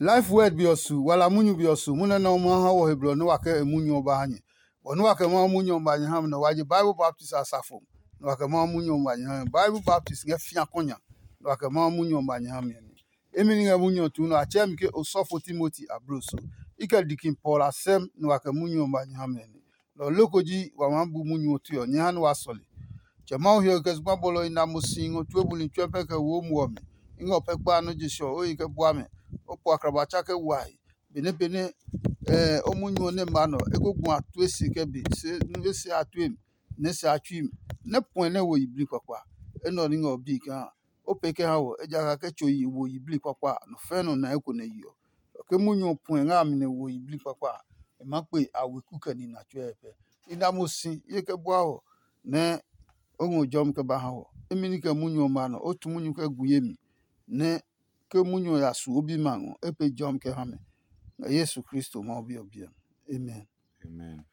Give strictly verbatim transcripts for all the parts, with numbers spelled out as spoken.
Life Word be ɔ su, wala munyu be ɔ su, munyu nɛ Mawu ha wɔ he blɔ nɛ wa kɛ e munyu ɔ ba ha nyɛ. Bɔ nɛ wa kɛ Mawu munyu ɔ ba nyɛ ha mi nɛ wa je Bible baptist asafo, nɛ wa kɛ Mawu munyu ɔ ba nyɛ ha mi. Bible baptist ngɛ fĩa kɔnya, nɛ wa kɛ Mawu munyu ɔ ba nyɛ ha mi ɔ nɛ. Imi ni ngɛ munyu ɔ tuu nɛ a tsɛɛ mi ke osɔfo Timoti ablo so. I kɛ dikin Paul a sɛm nɛ wa kɛ munyu ɔ ba nyɛ ha mi ɔ nɛ. Lɔ ɔ loko ji wa maa bu munyu ɔ tue ɔ, nyɛ ha nɛ wa sɔle. Tsɛ Mawu hiɔwe kɛ zugba bɔlɔ i na mo si ngɔ tue buli tsuɛ pɛ kɛ wo muɔ mi. I ngɛ o pɛ kpa nɔ́ je sɔ o yi kɛ bua mɛ. O po akraba tsa kɛ wae. Benɛ benɛ ɛ o munyu ɔ nɛ ma nɔ, e ko gu a tue se kɛ be, se nue se a tue mi, nɛ se a tsui mi, nɛ puɛ nɛ wo yiblii kpakpa. Enɛ ɔ ní ngɛ o bii kaa o pee kɛ ha wɔ, ejakaa ke tso yi wo yiblii kpakpa a, nɔ fɛ̃ nɔ na eko nɛ yi ɔ. Ke munyu ɔ puɛ ngɛ a mi nɛ wo yiblii kpakpa a, e maa kpe a weku kɛ nina tsuɛ pɛ. I na mo si ye kɛ bua wɔ nɛ o ngɔ jɔmi kɛ ba ha wɔ. Imi ní kɛ munyu ɔmɛ a nɔ, o tu munyu kɛ gu ye mi, nɛ ke munyu ɔ ya su o bimɛ a ngɔ, e pee jɔmi kɛ ha mɛ. Ngɛ Yesu Kristo Mawu Bi ɔ biɛ mi. Amen. Amen.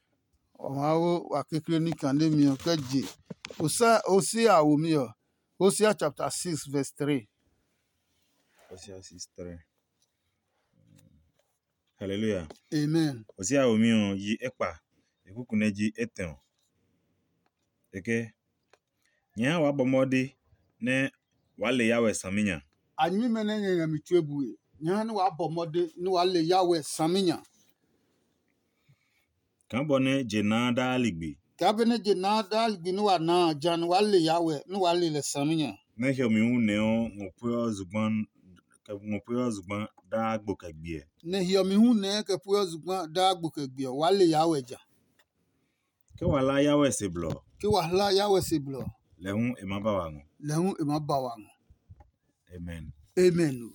Wa maa wo wa kekle ní kane mi ɔ kɛ je Hosea, Hosea womi ɔ. Hosea chapter six verse three. Hosea six three. Hallelujah. Amen. Hosea womi ɔ yi ekpa, e kuku nɛ ji etɛ ɔ. Eke, nyɛ ha wa bɔ mɔde nɛ waa le ya wɛ saminya. A nyɛmimɛ nɛ nyɛ ngɛ mi tue bue, nyɛ ha nɛ waa bɔ mɔde nɛ waa le ya wɛ saminya. Kaa bɔ nɛ je naa daa ligbi. Kaa benɛ je naa daa ligbi nɛ wa naa a, ja nɛ waa le ya wɛ nɛ waa le lɛ saminya. Nɛ hiɔmi hu nɛ ɔ ngɔ pue ɔ zugba, kɛ ngɔ pue ɔ zugba daa gbo kɛ gbiɛ. Nɛ hiɔmi hu nɛɛ kɛ pue ɔ zugba daa gbo kɛ gbiɛ, waa le ya wɛ ja. Ke wa hla ya wɛ se blɔ. Ke wa hla ya wɛ se blɔ. Lɛ hu e ma ba wa ngɔ. Lɛ hu e ma ba wa ngɔ. Amen. Amen o.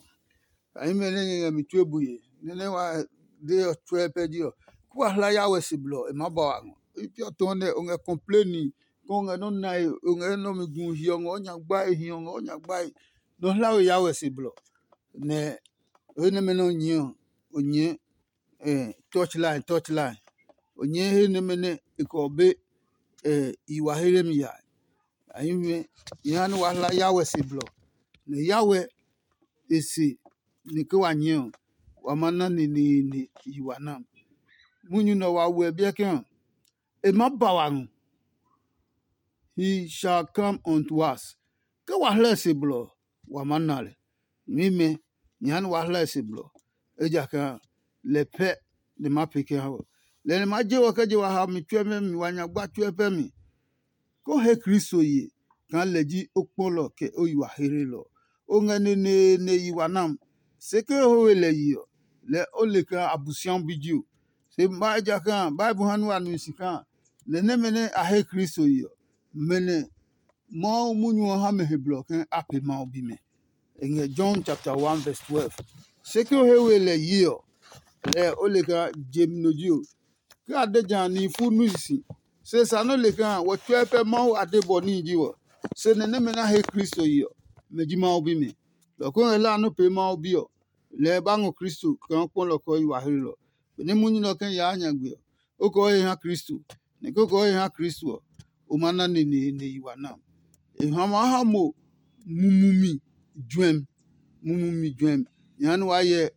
Ayi mɛ nɛ nyɛ ngɛ mi tue bue, nɛ nɛ wa de ɔ tsuɛ pɛ ji ɔ, ku wa hla ya wɛ se blɔ, e ma ba wa ngɔ. I piɔ tɔ nɛ o ngɛ kɔmpleni, kɔ o ngɛ nɔ nae, o ngɛ nɔ mi gu hiɔ ngɔ nya gbae, hiɔ ngɔ nya gbae. Nɔ hla we ya wɛ se blɔ. Nɛ o he nɛmɛ nɛ o nyɛ ɔ, o nyɛ eh, touch line, touch line. O nyɛ he nɛmɛ nɛ e kɛ be eh, i wa he mi ya. Ayi mɛ, nyɛ ha nɛ wa hla ya wɛ se blɔ. Nɛ ya wɛ e se ni ke wa nyɛ ɔ, wa ma na neneene yi wa na. Munyu nɛ wa wɛ biɛ ke ɔ, e ma ba wa ngɔ. He shall come unto us. Ke wa hlɛ se blɔ ɔ, wa ma na lɛ. Nyɛmimɛ, nyɛ ha nɛ wa hlɛ se blɔ, ejakaa lɛ pɛ nɛ ma pee kɛ ha wɔ. Lɛ nɛ ma je wɔ kɛ je wa ha mi tsuɛ pɛ mi, wa nya gba tsuɛ pɛ mi. Ko he Kristo ye kaa lɛ ji o kpɔlɔ kɛ o yi wa hehelɔ. O ngɛ neneene yi wa nam, se ke o he we lɛ yi ɔ, lɛ o le kaa Abosiami bi ji o. Se ma ejakaa Bible ha nɛ wa nu si kaa lɛ nɛmɛ nɛ a he Kristo ye ɔ, mɛ nɛ Mawu munyu ɔ ha mɛ he blɔ ke a pee Mawu bimɛ. E ngɛ John chapter one verse twelve. Se ke o he we lɛ yi ɔ, lɛ o le kaa je mi no ji o. Ke a de ja a nihi fu nu sisi, se sa nɔ́ le kaa wɔ tsuɛ pɛ Mawu a de bɔ níhi ji wɔ. Se nɛ nɛmɛ nɛ a he Kristo yi ɔ, mɛ ji Mawu bimɛ. Lɔ ko ngɛ hlaa nɔ́ pee Mawu Bi ɔ, lɛ e ba ngɔ Kristo kaa kpɔlɔ kɛ o yi wa hlelɔ. Benɛ munyu nɛ ɔ kɛ yaa nya gbe ɔ, o kɛ o he ha Kristo, nɛ kɛ o kɛ o he ha Kristo ɔ, o ma na neneene yi wa na. E ha maa ha mo mumumi juɛmi, mumumi juɛmi. Nyɛ ha nɛ waa hyɛ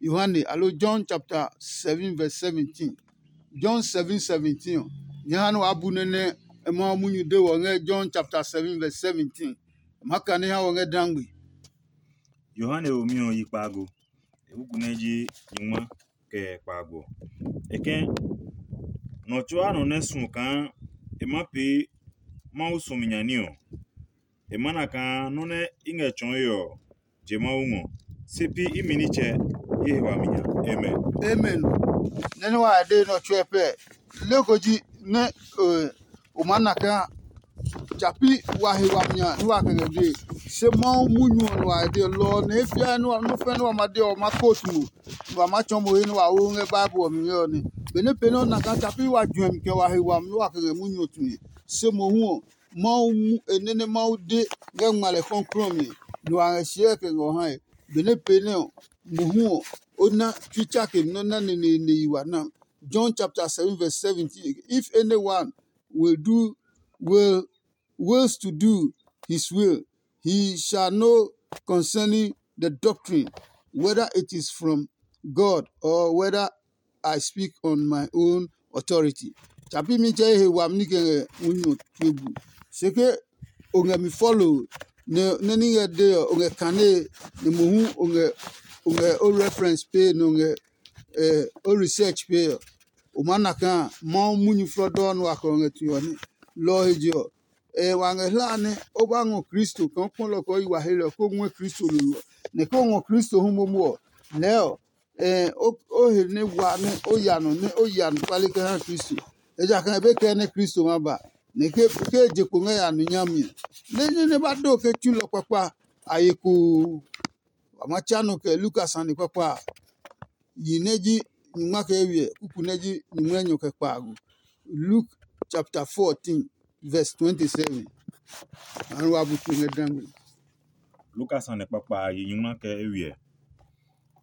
Yohane alo John chapter seven verse seventeen. John seven seventeen ɔ, nyɛ ha nɛ waa bu nɛ nɛ Mawu munyu de wɔ ngɛ John chapter seven verse seventeen. Ma kane ha wɔ ngɛ dangbe. Yohane womi ɔ yi kpaago, e kuku nɛ ji nyingma kɛ kpaago ɔ. E ke, nɔ tsuaa nɔ nɛ suɔ kaa e ma pee Mawu suɔmi nya ní ɔ, e ma na kaa nɔ́ nɛ i ngɛ tsɔɔe ɔ, je Mawu ngɔ, se pi imi nitsɛ ye he wami nya. Amen. Amen. Nɛ nɛ wa de nɔ tsuɛ pɛ. Leko ji nɛ o ma na kaa tsa pi wa he wami nya nɛ wa kɛ ngɛ dee. Se Mawu munyu ɔ nɛ wa he dee lɔ ɔ, nɛ he fiaa nɛ wa nɔ́ fɛ́ nɛ wa ma de ɔ, ma kotu mo, nɛ wa ma tsɔɔ mo he nɛ wa wo ngɛ Bible ɔ mi ngɛ ɔ nɛ. Benɛ pee nɛ o na kaa tsa pi wa juɛmi kɛ wa he wami nɛ wa kɛ ngɛ munyu ɔ tue. Se mohu ɔ, Mawu mu e nɛ nɛ Mawu de ngɛ ngma lɛ kɔklɔɔ mi, nɛ wa ngɛ siɛ kɛ ngɛ ɔ hae. Benɛ pee nɛ ɔ, mohu ɔ, o na tsui tsake nɔ́ na neneene yi wa na. John chapter seven verse seventeen. If anyone will do will wills to do his will, he shall know concerning the doctrine, whether it is from God or whether I speak on my own authority. Tsa pi mi tsɛ ye he wami nike ngɛ munyu ɔ tue bu. Se ke o ngɛ mi follow nɛ nɛ ni ngɛ de ɔ, o ngɛ kane nɛ mohu o ngɛ o ngɛ o reference pe nɛ o ngɛ eh, o research pe ɔ, o maa na kaa Mawu munyu flɔdɔɔ nɛ wa kɛ o ngɛ tue ɔ nɛ. Lɔ ɔ he je ɔ, eh, wa ngɛ hlaa nɛ o ba ngɔ Kristo kaa o kpɔ lɔ kɛ o yi wa he lɛ ɔ, kó ngɔɛ Kristo lolo ɔ. Nɛ ke o ngɔ Kristo hu momo ɔ, lɛɛ ɔ, eh, o, o he nɛ wa nɛ o ya nɔ nɛ o ya anɔkuale kɛ ha Kristo. Ejakaa e be kɛɛ nɛ Kristo ma ba, nɛ ke ke e je kpo ngɛ ya nu nyami ɔ. Nɛ nɛ nɛ ba do ke tsulɔ kpakpa a ye koo. Wa ma tsa nɔ kɛ Luka sane kpakpa a, yi nɛ ji nyingma kɛ eywiɛ, kuku nɛ ji nyingmɛnyɔ kɛ kpaago. Luke chapter fourteen, verse twenty-seven. Anu wa bu tu ngɛ dangbe. Luka sane kpakpa a, yi nyingma kɛ eywiɛ.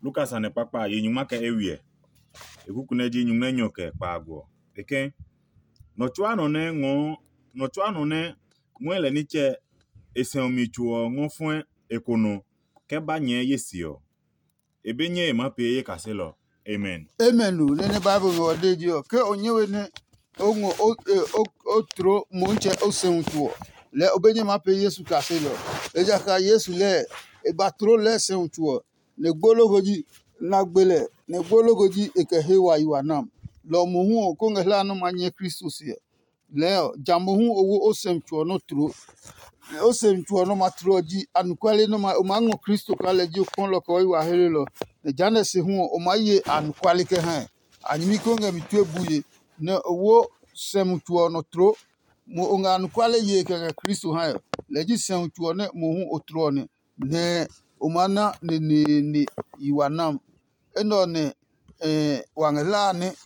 Luka sane kpakpa a, yi nyingma kɛ eywiɛ, e kuku nɛ ji nyingmɛnyɔ kɛ kpaago ɔ. E ke, nɔ tsuaa nɔ nɛ ngɔɔ nɔ tsuaa nɔ nɛ ngɔɛ lɛ nitsɛ e sɛumi tso ɔ ngɔ fɔɛ e ko nɔ kɛ ba nyɛɛ ye se ɔ, e be nyɛe maa pee ye kaselɔ. Amen. Amen o. Nɛ nɛ Bible ngɛ ɔ de ji ɔ, ke o nyɛ we nɛ o ngɔ o o o tloo Motsɛ o sɛumi tso ɔ, lɛɛ o be nyɛ maa pee Yesu kaselɔ. Ejakaa Yesu lɛɛ e ba tloo lɛɛ sɛumi tso ɔ, nɛ gbo loko ji na gbe lɛ, nɛ gbo loko ji e kɛ he wa yi wa nam. Lɔ ɔ mohu ɔ, ko ngɛ hlaa nɛ o ma nyɛ Kristo se ɔ, lɛɛ ɔ, ja mohu o wo o sɛumi tso ɔ nɔ́ tloo. O sɛumi tso ɔ nɔ́ ma tloo ɔ ji anɔkuale nɛ o maa ngɔ Kristo kaa lɛ ji o kpɔlɔ kɛ o yi wa hlelɔ. Nɛ jehanɛ se hu ɔ, o maa ye anɔkuale kɛ ha ɛ. A nyɛmi ko ngɛ mi tue bue, nɛ o wo sɛumi tso ɔ nɔ tloo. Mo o ngɛ anɔkuale yee kɛ ngɛ Kristo hae ɔ, lɛ ji sɛumi tso ɔ nɛ mohu o tloo ɔ nɛ, nɛ o maa na neneene yi wa nam. Enɛ ɔ nɛ wa ngɛ hlaa nɛ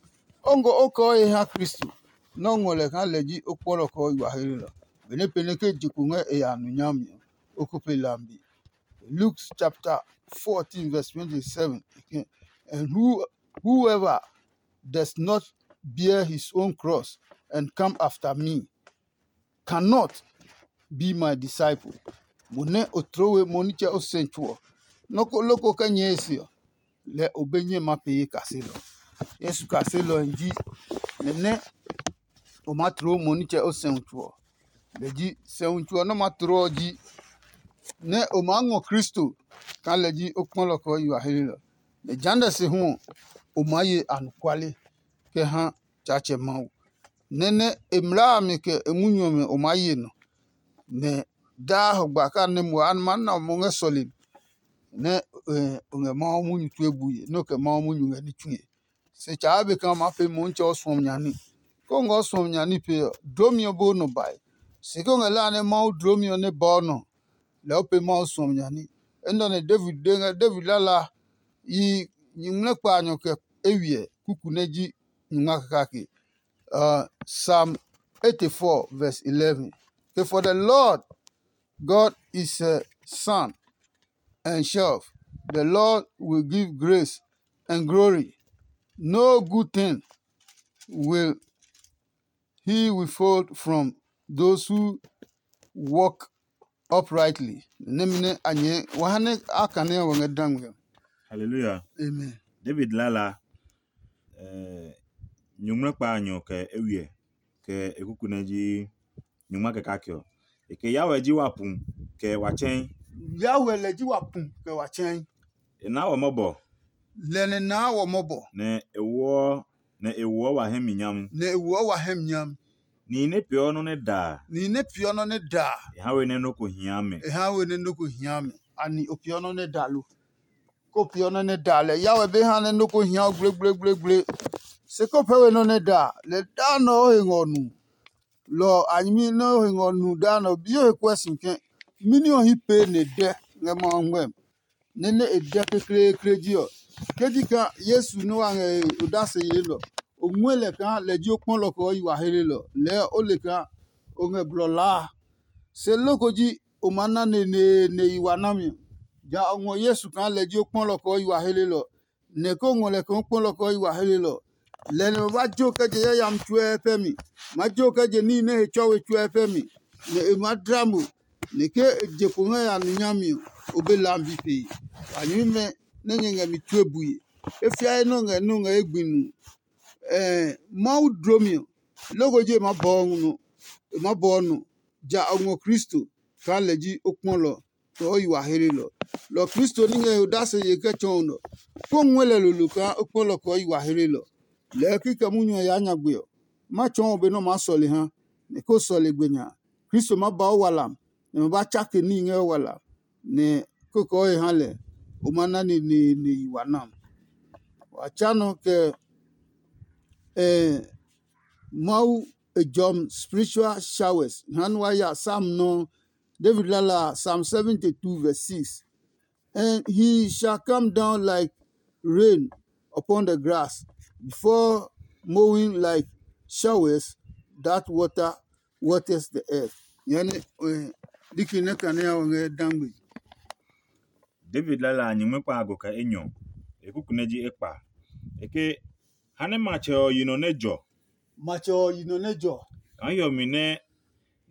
o ngɔ o kɛ o he ha Kristo, nɛ o ngɔ lɛ kaa lɛ ji o kpɔlɔ kɛ o yi wa hlelɔ. Benɛ pɛnɛ ke je kpo ngɛ e ya nu nyami ɔ, o ko pe lambi. Luke chapter fourteen verse twenty-seven. And who, whoever does not bear his own cross and come after me cannot be my disciple. Mo nɛ o tloo we mo nitsɛ o sɛ tso ɔ, nɔ́ ko loko kɛ nyɛɛ e se ɔ, lɛ o be nyɛ ma pee kaselɔ. Yesu kaselɔ ji nɛ nɛ o maa tloo mo nitsɛ o sɛ tso ɔ. Lɛ ji sɛumi tso ɔ nɛ o ma tloo ɔ ji nɛ o maa ngɔ Kristo kaa lɛ ji o kpɔlɔ kɛ o yi wa hlelɔ. Nɛ jehanɛ se hu ɔ, o maa ye anɔkuale kɛ ha Tsaatsɛ Mawu. Nɛ nɛ e mlaa a mi kɛ e munyu ɔmɛ o maa ye nɔ. Nɛ daa hɔgba kɛ a nɛ mo a ma na mo ngɛ sɔlemi nɛ o ngɛ Mawu munyu tue bue nɛ o kɛ Mawu munyu ngɛ ní tsue. Se tsaa be kaa o maa pee Motsɛ o suɔmi nya ní. Ke o ngɛ o suɔmi nya ní pee ɔ, dlomi ɔ bo nɔ bae. Se ke o ngɛ hlaa nɛ Mawu dlomi ɔ nɛ bɔɔ nɔ, lɛɛ o pee Mawu suɔmi nya ní. Enɛ ɔ nɛ David de ngɛ David lala yi nyingmlɛkpaanyɔ kɛ eywiɛ kuku nɛ ji nyingma kake. Uh, Psalm eighty-four verse eleven. Okay, for the Lord God is a sun and shelf. The Lord will give grace and glory. No good thing will he withhold from those who walk uprightly. Nɛmɛ nɛ a nyɛ wa ha nɛ a kane ɔ ngɛ dangme. Hallelujah. Amen. David lala eh, nyuŋmlɛkpa a nyɔ kɛ ewiɛ kɛ e kuku nɛ ji nyuŋma kɛ kake ɔ. E ke Yahweh ji wa pu kɛ wa tsɛ̃i. Yahweh lɛ ji wa pu kɛ wa tsɛ̃i. E naa wɔ mɔbɔ. Lɛ nɛ naa wɔ mɔbɔ. Nɛ e woɔ nɛ e woɔ wa hɛ mi nyami. Nɛ e woɔ wa hɛ mi nyami. Nihi nɛ peeɔ nɔ́ nɛ da a. Nihi nɛ peeɔ nɔ́ nɛ da a. E ha we nɛ nɔ́ ko hia mɛ. E ha we nɛ nɔ́ ko hia mɛ. Ani o peeɔ nɔ́ nɛ da lo? Ko peeɔ nɔ́ nɛ da lɛ Yahweh be ha nɛ nɔ́ ko hia o gblegblegblegle. Se ko pɛ we nɔ́ nɛ da lɛ daa nɔ o he ngɔ nu. Lɔ a nyɛmi nɛ o he ngɔ nu daa nɔ bi o he kuɛ si kɛ mɛni ɔ hi pee nɛ dɛ ngɛ Mawu ngmɛmi. Nɛ nɛ e dɛ kekleekle ji ɔ, ke ji kaa Yesu nɛ wa ngɛ e odase yee lɔ, o ngɔɛ lɛ kaa lɛ ji o kpɔlɔ kɛ o yi wa helelɔ, lɛɛ o le kaa o ngɛ blɔ laa a. Se loko ji o maa na neneene yi wa nami ɔ. Ja o ngɔ Yesu kaa lɛ ji o kpɔlɔ kɛ o yi wa helelɔ, nɛ ke o ngɔ lɛ kaa o kpɔlɔ kɛ o yi wa helelɔ, lɛ nɛ ma ba jo kɛ je yayami tsuɛ pɛ mi, ma jo kɛ je níhi nɛ he tsɔwe tsuɛ pɛ mi, nɛ e maa dla mo, nɛ ke e je kpo ngɛ ya nu nyami ɔ, o be lambi pee. A nyɛmimɛ nɛ nyɛ ngɛ mi tue bue, e fiae nɔ ngɛ nɔ ngɛ egbi nu. Ɛɛ, Mawu dlomi ɔ, loko ji e ma bɔɔ nɔ, e ma bɔɔ nɔ, ja o ngɔ Kristo kaa lɛ ji o kpɔlɔ kɛ o yi wa hlelɔ. Lɔ Kristo ní ngɛ he odase ye kɛ tsɔɔ nɔ, kó ngɔɛ lɛ lolo kaa o kpɔlɔ kɛ o yi wa hlelɔ. Lɛɛ kikɛ munyu ɔ yaa nyagbe ɔ, ma tsɔɔ be nɛ o maa sɔle ha, nɛ ko sɔle gbe nya. Kristo ma ba o walam, nɛ ma ba tsake níhi ngɛ o walam, nɛ kókɔɔ he ha lɛ, o ma na neneene yi wa nam. Wa tsa nɔ kɛ eh, Mawu e jɔm spiritual showers. Ha nɛ wa ya Psalm nɔ, David lala Psalm seventy-two verse six. And he shall come down like rain upon the grass, before mowing like showers that water waters the earth. Yani, eh, diki ne kane ya wanga dangbe. David lala a nyingmi kpa a go kɛ enyɔ, e kuku nɛ ji ekpa. E ke, ha nɛ matsɛ ɔ yi nɔ nɛ jɔ. Matsɛ ɔ yi nɔ nɛ jɔ. Kaa hiɔmi nɛ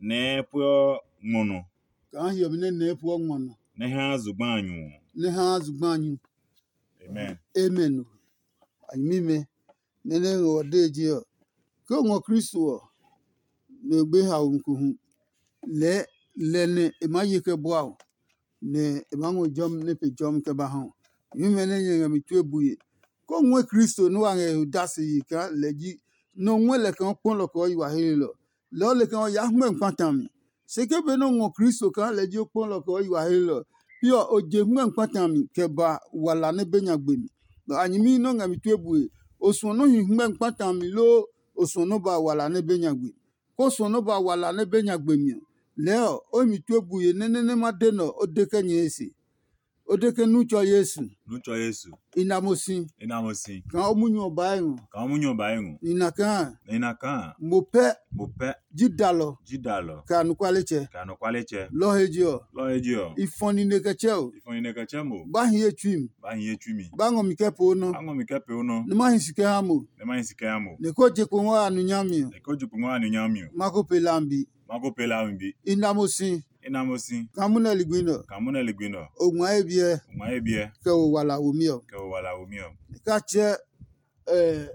nɛɛ pueɔ ngmɔ nɔ. Kaa hiɔmi nɛ nɛɛ pueɔ ngmɔ nɔ. Nɛ haa zugba a nyu ɔ. Nɛ haa zugba a nyu. Amen. Amen. A nyɛmimɛ, nɛ nɛ ngɛ ɔ dee je ɔ, ke o ngɔ Kristo ɔ, nɛ o gbe haomi ko hu, lɛɛ lɛ nɛ e maa ye kɛ bua o, nɛ e maa ngɔ jɔmi nɛ pe jɔmi kɛ ba ha o. Nyɛmimɛ nɛ nyɛ ngɛ mi tue bue, ke o ngɔɛ Kristo nɛ wa ngɛ he odase yi kaa lɛ ji nɛ o ngɔɛ lɛ kaa o kpɔ lɔ kɛ o yi wa helelɔ. Lɛɛ o le kaa o yaa hmɛ kpata mi. Se ke benɛ o ngɔ Kristo kaa lɛ ji o kpɔ lɔ kɛ o yi wa helelɔ, pi ɔ, o je hmɛ kpata mi kɛ ba wala nɛ be nya gbe mi. Nɔ a nyɛmi nɛ o ngɛ mi tue bue, o suɔ nɔ́ hi hmɛ kpata mi loo o suɔ nɔ́ ba wala nɛ be nya gbe mi. Ko suɔ nɔ́ ba wala nɛ be nya gbe mi ɔ, lɛɛ ɔ, o hi mi tue bue nɛ nɛ nɛ ma de nɛ ɔ, o de kɛ nyɛɛ se. O de ke nu tsɔ Yesu. Nu tsɔ Yesu. I na mo si. I na mo si. Kaa o munyu ɔ baa ngɔ. Kaa o munyu ɔ baa ngɔ. I na kaa. I na kaa. Mo pɛ. Mo pɛ. Ji dalɔ. Ji dalɔ. Kɛ anɔkualetsɛ. Kɛ anɔkualetsɛ. Lɔ he je ɔ. Lɔ he je ɔ. I fɔ nine kɛ tsɛ o. I fɔ nine kɛ tsɛ mo. Ba hi ye tsui mi. Ba hi ye tsui mi. Ba ngɔ mi kɛ poo nɔ. Ba ngɔ mi kɛ poo nɔ. Ne ma hi si kɛ ha mo. Ne ma hi si kɛ ha mo. Ne ko je kpo ngɔ ya nu nyami ɔ. Ne ko je kpo ngɔ ya nu nyami ɔ. Ma ko pe lambi. Ma ko pe lambi. I na mo si. I na mo si. Kaa munɛ ligbi nɛ ɔ. Kaa munɛ ligbi nɛ ɔ. O ngma ye biɛ. O ngma ye biɛ. Kɛ o wala womi ɔ. Kɛ o wala womi ɔ. Ka tsɛ eh,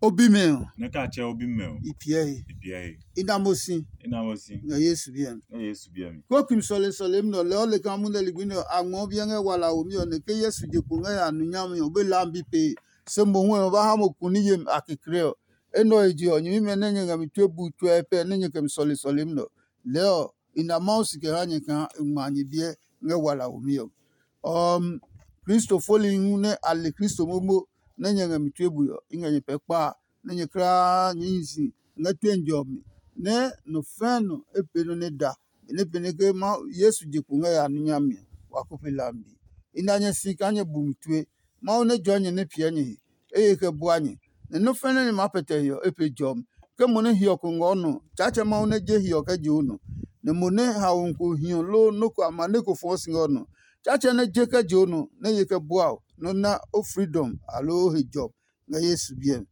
o bimɛ ɔ. Ne ka tsɛ o bimɛ ɔ. I piɛ he. I piɛ he. I na mo si. I na mo si. Ngɛ Yesu biɛ mi. Ngɛ Yesu biɛ mi. Ko kim sɔle sɔle mi nɔ lɛ ɔ le kaa munɛ ligbi nɛ ɔ a ngmɔ biɛ ngɛ wala womi ɔ nɛ ke Yesu je kpo ngɛ ya nu nyami ɔ be lambi pee. Se mo hu ɔ ba ha mo kuni yemi a kekle ɔ. Enɛ ɔ je ɔ, nyɛmimɛ nɛ nyɛ ngɛ mi tue bu tsuɛ pɛ nɛ nyɛ kɛ mi sɔle sɔlemi nɛ ɔ, lɛɛ ɔ, i na Mawu si kɛ ha nyɛ kaa e ngma nyɛ biɛ ngɛ wala womi ɔ. Ɔm Kristo foli hu nɛ a le Kristo momo nɛ nyɛ ngɛ mi tue bui ɔ, i ngɛ nyɛ pɛ kpa a, nɛ nyɛ kulaa nyɛɛ hi si ngɛ tue njɛ ɔ mi, nɛ nɔ fɛɛ nɔ e pee nɔ́ nɛ da, benɛ pɛnɛ ke Yesu je kpo ngɛ ya ní nyami ɔ, wa ko pe lambi. I na nyɛ si kaa nyɛ bu mi tue. Mawu nɛ jɔɔ nyɛ nɛ piɛ nyɛ he, e ye kɛ bua nyɛ, nɛ nɔ́ fɛnɛ nɛ maa pɛtɛ he ɔ, e pe jɔmi. Ke mo nɛ hiɔ ko ngɔ nɔ, Tsaatsɛ Mawu nɛ je hiɔ kɛ je o nɔ, nɛ mo nɛ haomi ko hiɔ loo nɔ́ ko amane ko fɔɔ si ngɛ o nɔ, Tsaatsɛ nɛ je kɛ je o nɔ, nɛ ye kɛ bua o, nɛ o na o freedom aloo o he jɔmi ngɛ Yesu biɛ mi.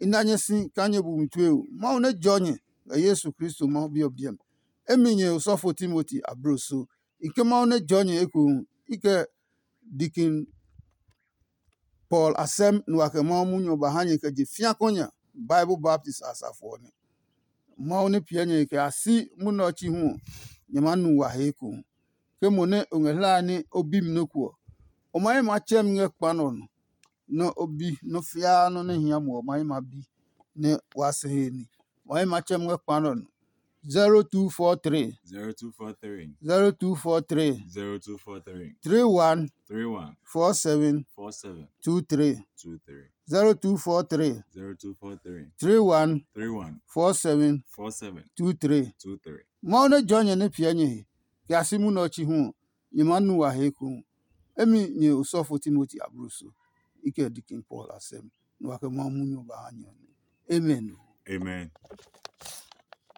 I na nyɛ si kaa nyɛ bu mi tue o. Mawu nɛ jɔɔ nyɛ ngɛ Yesu Kristo Mawu Bi ɔ biɛ mi. Emi nyɛ osɔfo Timoti abloso. I ke Mawu nɛ jɔɔ nyɛ ekohu, i kɛ Dikin Paul asɛm nɛ wa kɛ Mawu munyu ɔ ba ha nyɛ kɛ je fĩa kɔ nya Bible baptist asafo ɔ nɛ. Mawu nɛ piɛ nyɛ kɛ ya si munɛ ɔ chi hu ɔ, nyɛ maa nu wa he ekohu. Ke mo nɛ o ngɛ hlae nɛ o bi mi nɔ́ ko ɔ, o ma ye maa tsɛ mi ngɛ kpa nɛ ɔ nɔ, nɛ o bi nɔ́ fiaa nɔ́ nɛ hia mo ɔ ma ye maa bi nɛ waa si he ní. Wa ye maa tsɛ mi ngɛ kpa nɛ ɔ nɔ. zero two four three zero two four three zero two four three zero two four three three one three one four seven four seven two three two three zero two four three zero two four three three one three one four seven four seven two three two three. Mawu nɛ jɔɔ nyɛ nɛ piɛ nyɛ he, kɛ ya si munɛ ɔ chi hu ɔ, nyɛ maa nu wa he ekohu. Emi nyɛ osɔfo Timoti abloso, i kɛ Dikin Paul asɛm, nɛ wa kɛ Mawu munyu ɔ ba ha nyɛ ɔ nɛ. Amen. Amen.